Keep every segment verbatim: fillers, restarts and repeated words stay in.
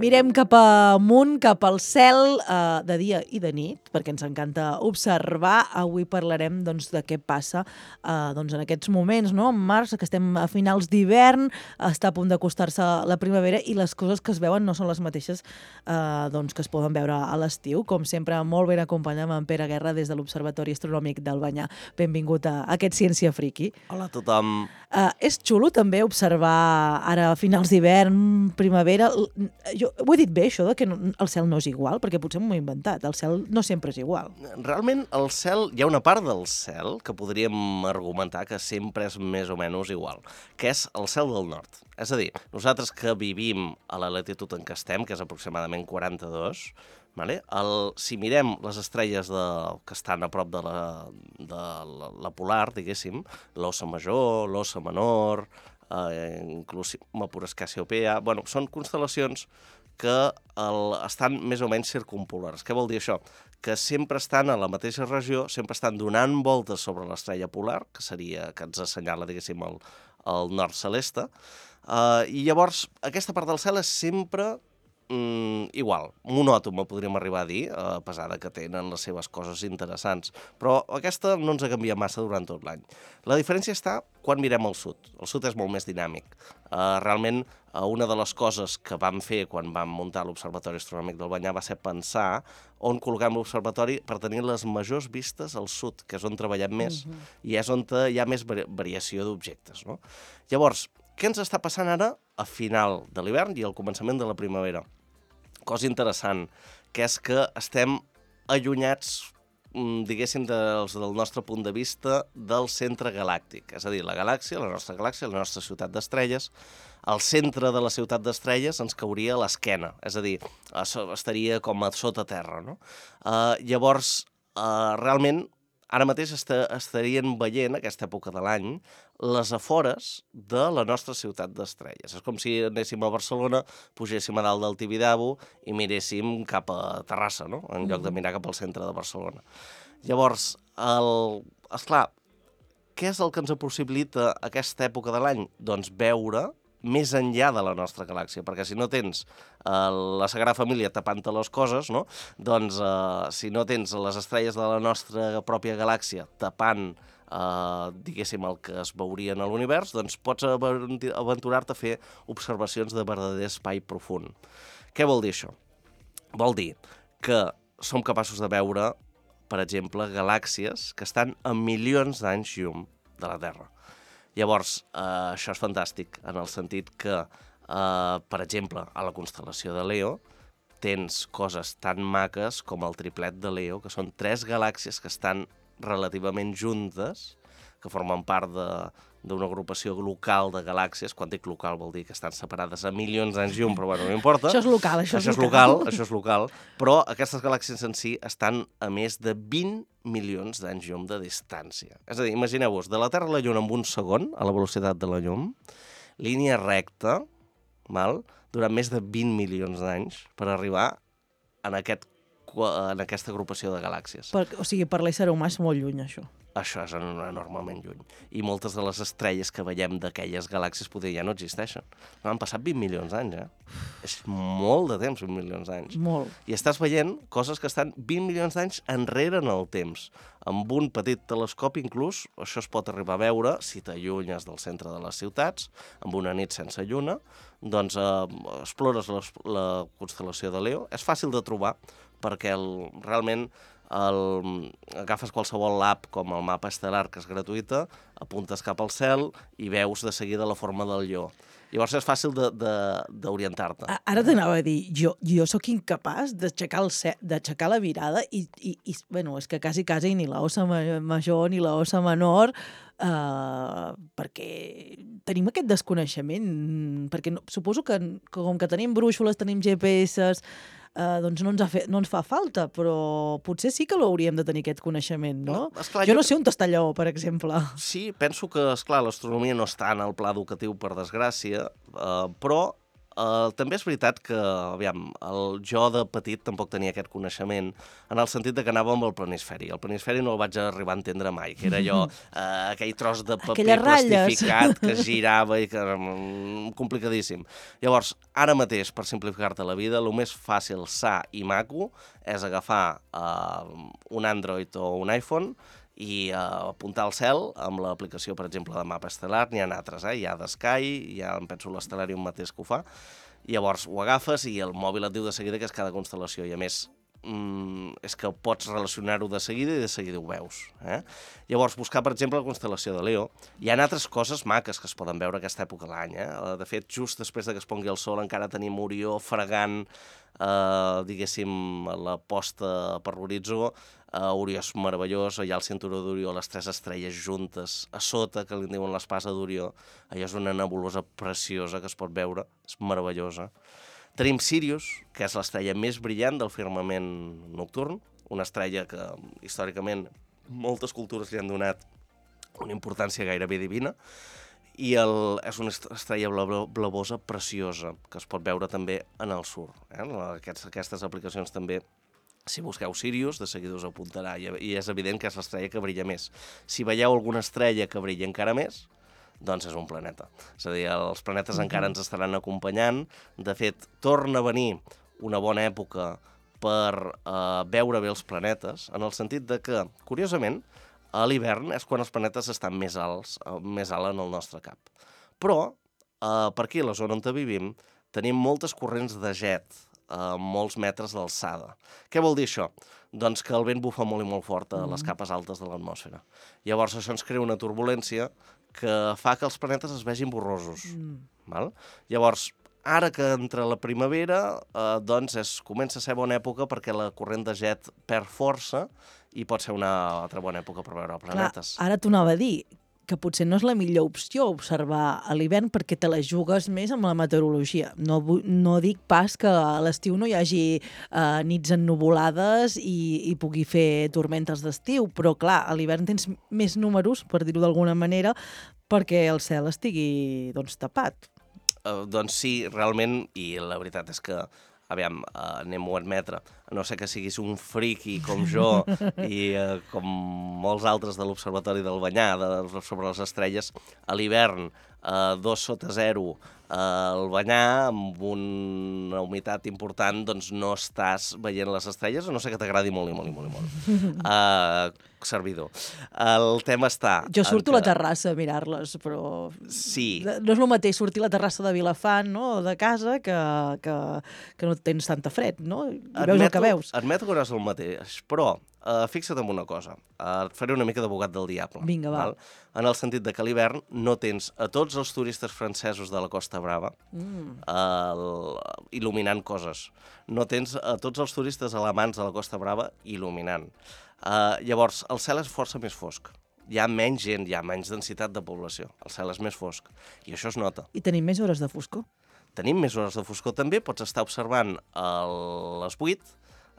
Mirem cap amunt, cap al cel, eh, de dia i de nit, perquè ens encanta observar. Avui parlarem doncs, de què passa eh, doncs, en aquests moments, no? En març, que estem a finals d'hivern, està a punt d'acostar-se la primavera i les coses que es veuen no són les mateixes eh, doncs, que es poden veure a l'estiu. Com sempre, molt ben acompanyat amb en Pere Guerra des de l'Observatori Astronòmic d'Albanyà. Benvingut a aquest Ciència Friki. Hola a tothom. Uh, és xulo també observar ara a finals d'hivern, primavera. Jo ho he dit bé, això de que no, el cel no és igual, perquè potser m'ho he inventat. El cel no sempre és igual. Realment, el cel, hi ha una part del cel que podríem argumentar que sempre és més o menys igual, que és el cel del nord. És a dir, nosaltres que vivim a la latitud en què estem, que és aproximadament quaranta-dos, vale? el, si mirem les estrelles de, que estan a prop de la, de la, la polar, diguéssim, l'Ossa Major, l'Ossa Menor, eh, inclús Mapures Cassiopea, bueno, són constel·lacions que el, estan més o menys circumpolars. Què vol dir això? Que sempre estan a la mateixa regió, sempre estan donant voltes sobre l'estrella polar, que seria que ens assenyala, diguéssim, el, el nord celeste, uh, i llavors aquesta part del cel és sempre mm, igual, monòtoma, podríem arribar a dir, a pesar de que tenen les seves coses interessants, però aquesta no ens ha canviat massa durant tot l'any. La diferència està quan mirem al sud. El sud és molt més dinàmic. Uh, realment, uh, una de les coses que vam fer quan vam muntar l'Observatori Astronòmic d'Albanyà va ser pensar on col·loquem l'observatori per tenir les majors vistes al sud, que és on treballem més, uh-huh. i és on hi ha més vari variació d'objectes, no? Llavors, què ens està passant ara a final de l'hivern i al començament de la primavera? Cosa interessant, que és que estem allunyats, diguéssim, dels, del nostre punt de vista del centre galàctic. És a dir, la galàxia, la nostra galàxia, la nostra ciutat d'estrelles, al centre de la ciutat d'estrelles ens cauria a l'esquena, és a dir, estaria com a sota terra, no? Uh, llavors, uh, realment, ara mateix est estarien veient, aquesta època de l'any, les afores de la nostra ciutat d'estrelles. És com si anéssim a Barcelona, pugéssim a dalt del Tibidabo i miréssim cap a Terrassa, no? En lloc de mirar cap al centre de Barcelona. Llavors, el... esclar, què és el que ens possibilita aquesta època de l'any? Doncs veure més enllà de la nostra galàxia, perquè si no tens uh, la Sagrada Família tapant-te les coses, no? Doncs uh, si no tens les estrelles de la nostra pròpia galàxia tapant, uh, diguéssim, el que es veuria en l'univers, doncs pots aventurar-te a fer observacions de verdader espai profund. Què vol dir això? Vol dir que som capaços de veure, per exemple, galàxies que estan a milions d'anys llum de la Terra. Llavors, eh, això és fantàstic, en el sentit que, eh, per exemple, a la constel·lació de Leo tens coses tan maques com el triplet de Leo, que són tres galàxies que estan relativament juntes, que formen part d'una agrupació local de galàxies. Quan dic local vol dir que estan separades a milions d'anys llum, però bueno, no importa. Això és local, això, això és local. local. Això és local, però aquestes galàxies en si estan a més de vint milions d'anys llum de distància. És a dir, imagineu-vos, de la Terra a la Lluna en un segon, a la velocitat de la llum, línia recta, val? Durant més de vint milions d'anys per arribar en, aquest, en aquesta agrupació de galàxies. Per, o sigui, per l'ésser humà és molt lluny, això. Això és enormement lluny. I moltes de les estrelles que veiem d'aquelles galàxies poder ja no existeixen. No, han passat vint milions d'anys, eh? És molt de temps, vint milions d'anys. Molt. I estàs veient coses que estan vint milions d'anys enrere en el temps. Amb un petit telescopi, inclús, això es pot arribar a veure si t'allunyes del centre de les ciutats, amb una nit sense lluna, doncs eh, explores la, la constel·lació de Leo. És fàcil de trobar, perquè el, realment el, agafes qualsevol app com el mapa estel·lar, que és gratuïta, apuntes cap al cel i veus de seguida la forma del lleó. Llavors és fàcil d'orientar-te. Ara t'anava a dir, jo, jo sóc incapaç d'aixecar la mirada i, i, i, bueno, és que quasi, quasi ni la ossa major ni la ossa menor, eh, perquè tenim aquest desconeixement, perquè no, suposo que, que com que tenim brúixoles, tenim G P S, Uh, doncs no ens, ha fet, no ens fa falta, però potser sí que l'hauríem de tenir aquest coneixement, no? no esclar, jo, jo no sé on està allò, per exemple. Sí, penso que, esclar, l'astronomia no està en el pla educatiu, per desgràcia, uh, però uh, també és veritat que, aviam, el, jo de petit tampoc tenia aquest coneixement, en el sentit de que anava amb el planisferi. El planisferi no el vaig arribar a entendre mai, que era allò, uh, aquell tros de paper plastificat que girava i que era um, complicadíssim. Llavors, ara mateix, per simplificar-te la vida, el més fàcil, sa i maco és agafar uh, un Android o un iPhone i uh, apuntar al cel amb l'aplicació, per exemple, de mapa estel·lar. N'hi ha altres, eh? Hi ha d'Sky, hi ha, em penso, l'Stellarium mateix que ho fa. Llavors ho agafes i el mòbil et diu de seguida que és cada constel·lació. I a més, mm, és que pots relacionar-ho de seguida i de seguida ho veus. Eh? Llavors, buscar, per exemple, la constel·lació de Leo. Hi ha altres coses maques que es poden veure a aquesta època de l'any. Eh? De fet, just després de que es pongui el sol encara tenim Orió fregant, eh, diguéssim, la posta per l'horitzó. Uh, Orió és meravellós, hi ha el cinturó d'Orió, les tres estrelles juntes a sota, que li diuen l'espasa d'Orió. Allò és una nebulosa preciosa que es pot veure, és meravellosa. Tenim Sirius, que és l'estrella més brillant del firmament nocturn, una estrella que històricament moltes cultures li han donat una importància gairebé divina, i el, és una estrella blavosa preciosa, que es pot veure també en el sur. Eh? Aquests, aquestes aplicacions també, si busqueu Sirius, de seguida us apuntarà, i és evident que és l'estrella que brilla més. Si veieu alguna estrella que brilla encara més, doncs és un planeta. És a dir, els planetes mm-hmm. encara ens estaran acompanyant. De fet, torna a venir una bona època per eh, veure bé els planetes, en el sentit de que, curiosament, a l'hivern és quan els planetes estan més alts, més alt en el nostre cap. Però, eh, per aquí, a la zona on vivim, tenim moltes corrents de jet, a molts metres d'alçada. Què vol dir això? Doncs que el vent bufa molt i molt fort a les capes altes de l'atmosfera. Llavors això ens crea una turbulència que fa que els planetes es vegin borrosos. Mm. Val? Llavors, ara que entra la primavera, eh, doncs és, comença a ser bona època perquè la corrent de jet perd força i pot ser una altra bona època per veure planetes. Clar, ara t'ho anava a dir, que potser no és la millor opció observar a l'hivern perquè te la jugues més amb la meteorologia. No, no dic pas que a l'estiu no hi hagi eh, nits ennuvolades i, i pugui fer tormentes d'estiu, però clar, a l'hivern tens més números, per dir-ho d'alguna manera, perquè el cel estigui doncs, tapat. Uh, doncs sí, realment, i la veritat és que aviam, uh, anem-ho a admetre, a no ser que siguis un friki com jo i uh, com molts altres de l'Observatori del Banyà, de, sobre les estrelles, a l'hivern, uh, dos sota zero, uh, al Banyà, amb una humitat important, doncs no estàs veient les estrelles, a no ser que t'agradi molt i molt i molt i molt. Uh, servidor. El tema està... Jo surto que... a la terrassa a mirar-les, però... Sí. No és el mateix sortir a la terrassa de Vilafant, no?, o de casa, que, que, que no tens tanta fred, no? I admeto, veus el que veus. Admeto que no és el mateix, però uh, fixa't en una cosa. Uh, et faré una mica d'abogat del diable. Vinga, va. Val? En el sentit de que a l'hivern no tens a tots els turistes francesos de la Costa Brava mm. uh, il·luminant coses. No tens a tots els turistes alemans de la Costa Brava il·luminant. Uh, llavors, el cel és força més fosc. Hi ha menys gent, hi ha menys densitat de població. El cel és més fosc. I això es nota. I tenim més hores de foscor. Tenim més hores de foscor també. Pots estar observant a les vuit,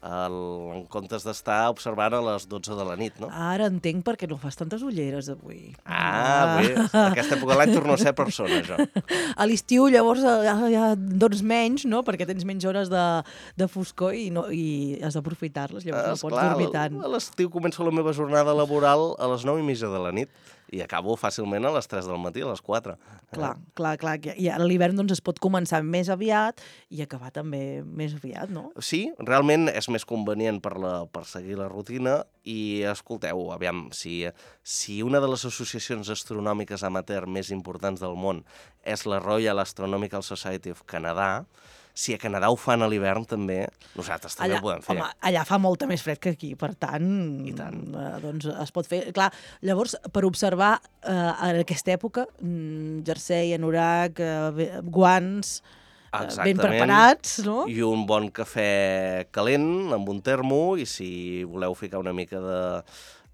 el, en comptes d'estar observant a les dotze de la nit, no? Ara entenc per què no fas tantes ulleres avui. Ah, bé. Aquesta època de l'any torno a ser persona, jo. A l'estiu, llavors, ja, ja doncs menys, no?, perquè tens menys hores de, de foscor i, no, i has d'aprofitar-les, llavors no pots clar, dormir tant. A l'estiu començo la meva jornada laboral a les nou i mitja de la nit i acabo fàcilment a les tres del matí, a les quatre. Clar, eh? clar, clar. I a l'hivern doncs, es pot començar més aviat i acabar també més aviat, no? Sí, realment és més convenient per, la, per seguir la rutina i escolteu, aviam, si, si una de les associacions astronòmiques amateur més importants del món és la Royal Astronomical Society of Canada, si a Canadà ho fan a l'hivern també, nosaltres també allà, ho podem fer. Home, allà fa molta més fred que aquí, per tant, I tant. Eh, doncs es pot fer. Clar, llavors, per observar eh, en aquesta època, mm, jersei, anorac, eh, guants, eh, ben preparats, no? I un bon cafè calent amb un termo, i si voleu ficar una mica de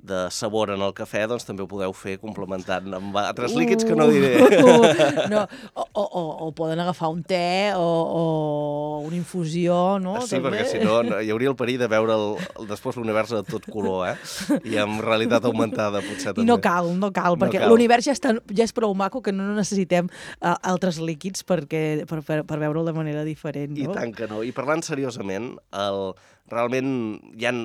de sabor en el cafè, doncs també ho podeu fer complementant amb altres líquids que no diré. Uh, no. O, o, o, o poden agafar un te o, o una infusió, no? Sí, també. perquè si no, no hi hauria el perill de veure el, el, després l'univers de tot color, eh? I amb realitat augmentada, potser també. I no cal, no cal, perquè cal. l'univers ja, està, ja és prou maco que no necessitem uh, altres líquids perquè, per, per, per veure'l de manera diferent, no? I tant que no. I parlant seriosament, el, realment hi ha...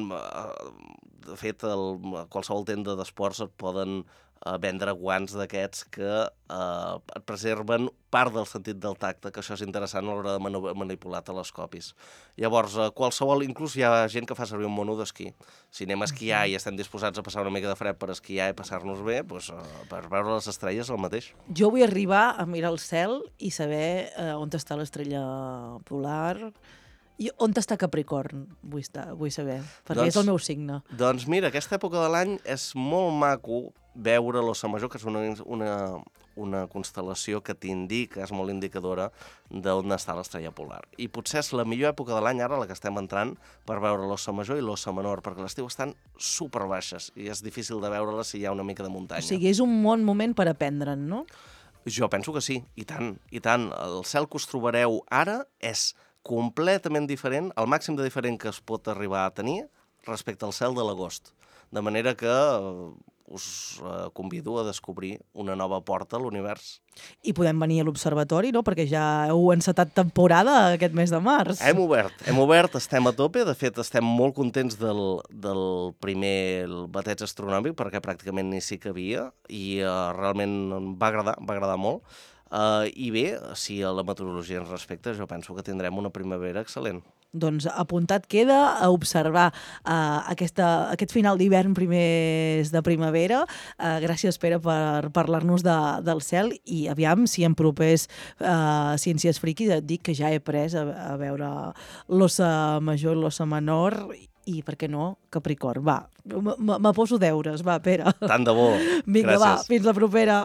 De fet, el, qualsevol tenda d'esports et poden eh, vendre guants d'aquests que eh, et preserven part del sentit del tacte, que això és interessant a l'hora de manu manipular telescopis. Llavors, eh, qualsevol, inclús hi ha gent que fa servir un mono d'esquí. Si anem a esquiar i estem disposats a passar una mica de fred per esquiar i passar-nos bé, doncs, eh, per veure les estrelles el mateix. Jo vull arribar a mirar el cel i saber eh, on està l'estrella polar. I on està Capricorn, vull, estar, vull saber, perquè doncs, és el meu signe. Doncs mira, aquesta època de l'any és molt maco veure l'Ossa Major, que és una, una, una constel·lació que t'indica, és molt indicadora d'on està l'estrella polar. I potser és la millor època de l'any ara, la que estem entrant, per veure l'Ossa Major i l'Ossa Menor, perquè l'estiu estan superbaixes i és difícil de veure-les si hi ha una mica de muntanya. O sigui, és un bon moment per aprendre'n, no? Jo penso que sí, i tant, i tant. El cel que us trobareu ara és completament diferent, el màxim de diferent que es pot arribar a tenir respecte al cel de l'agost. De manera que us convido a descobrir una nova porta a l'univers. I podem venir a l'observatori, no? Perquè ja heu encetat temporada aquest mes de març. Hem obert, hem obert, estem a tope. De fet, estem molt contents del, del primer bateig astronòmic, perquè pràcticament ni s'hi cabia, i uh, realment va agradar, va agradar molt. Uh, I bé, si a la meteorologia ens respecta, jo penso que tindrem una primavera excel·lent. Doncs apuntat queda a observar uh, aquesta, aquest final d'hivern, primers de primavera. Uh, gràcies, Pere, per parlar-nos de, del cel, i aviam si en propers uh, Ciències Friquis et dic que ja he pres a, a veure l'Ossa Major i l'Ossa Menor, i, per què no, Capricorn. Va, me poso deures, va, Pere. Tant de bo. Vinga, gràcies. va, fins la propera.